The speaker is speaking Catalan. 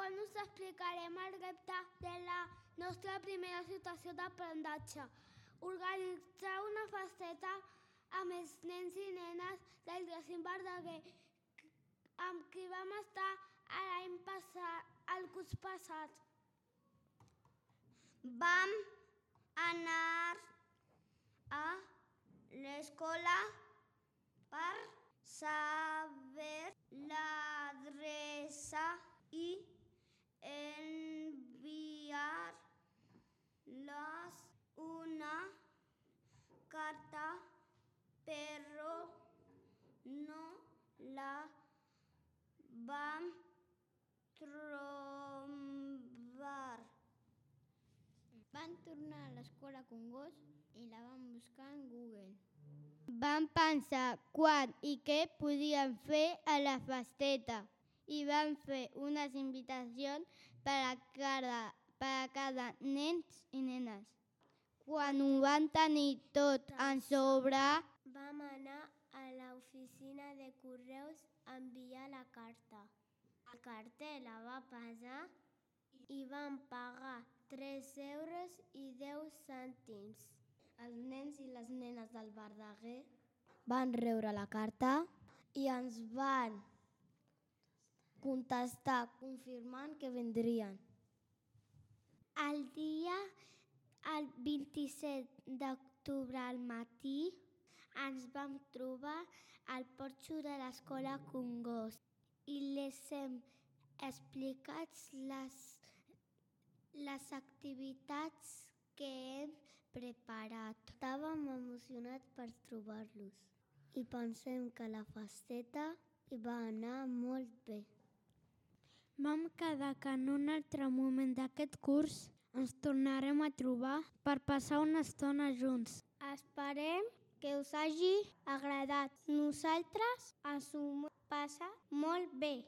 Segon, us explicarem el repte de la nostra primera situació d'aprenentatge. Organitzar una festeta amb els nens i nenes del Jacint Verdaguer, amb qui vam estar l'any passat, el curs passat. Vam anar a l'escola per saber l'adreça i enviar-los una carta, però no la vam trobar. Vam tornar a l'escola Congost i la vam buscar en Google. Vam pensar quan i què podíem fer a la festeta i vam fer unes invitacions per a cada nens i nenes. Quan ho vam tenir tot en sobre, vam anar a l'oficina de correus a enviar la carta. El cartell la va pesar i vam pagar 3,10 €. els nens i les nenes del Verdaguer van rebre la carta i ens van contestar confirmant que vindrien. El 27 d'octubre al matí ens vam trobar al porxo de l'escola Congost i les hem explicat les activitats que hem preparat. Estàvem emocionats per trobar-los i pensem que la festeta hi va anar molt bé. Vam quedar que en un altre moment d'aquest curs ens tornarem a trobar per passar una estona junts. Esperem que us hagi agradat. Nosaltres ens ho passem molt bé.